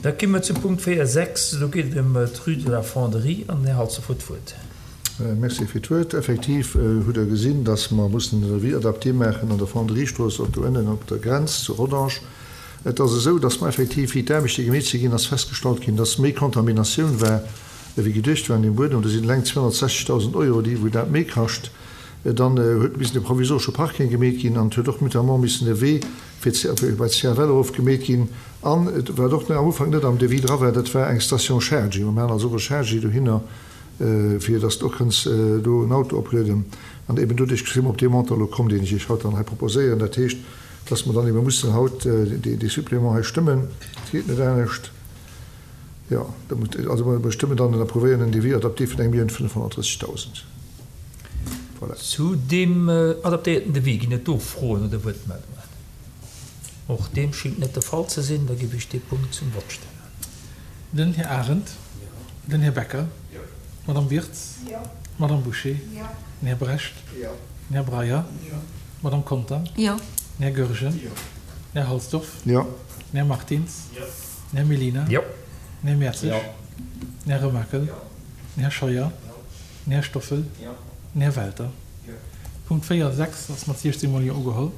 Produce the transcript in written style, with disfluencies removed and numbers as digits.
Da gi mer zum Punkt 4, 6. Do geet et ëm d'Rue de la Fonderie. An den Här Halsdorf huet d'Wuert. Merci fir d'Wuert. Effektiv hutt Der gesinn, dass mer mussen en Devis adapté maachen an der Fonderiestrooss och do ënnen op der Grenz zu Rodange. Et ass esou, dass mer effektiv, wéi d'Aarbechte gemeet si ginn, ass festgestallt ginn, dass méi Kontaminatioun war, ewéi geduecht war an deem Buedem. Do sinn eleng 260.000 Euro, déi wou dat méi kascht. Dann huet missen e provisoresche Parking gemeet ginn an et huet och notamment missen e Wee fir bei d'CFL erof gemeet ginn. An wat och am Ufank net am Devis dra war, dat war eng Station Chargy. Mer maachen also och e Chargy dohinner, fir dass de och kënns do en Auto oplueden. An eben doduerch si mer op dee Montant elo komm, deen ech Iech haut dann hei proposéieren. Dat heescht, dass mer dann ebe mussen haut dee Supplément hei stëmmen. Et geet net anescht. Jo, also mer stëmmen dann en approuvéieren en Devis adapté vun 1.530.000. Voilà. Zu deem adaptéierten Devis ginn et do Froen oder Wuertmeldungen? Och deem schingt net de Fall ze sinn. Da géif ech dee Punkt zum Vott stellen. Den Här Arendt. Den Här Becker. D'Madame Wirtz. D'Madame Bouché. Den Här Brecht. Den Här Breyer. D'Madame Conter. Den Här Goergen. Den Här Halsdorf. Den Här Martins. Den Här Mellina. Den Här Mertzig. Den Här Remakel. Den Här Scheuer. Den Här Stoffel. Den Här Welter. Punkt 4, 6 ass mat 16 mol Jo ugeholl.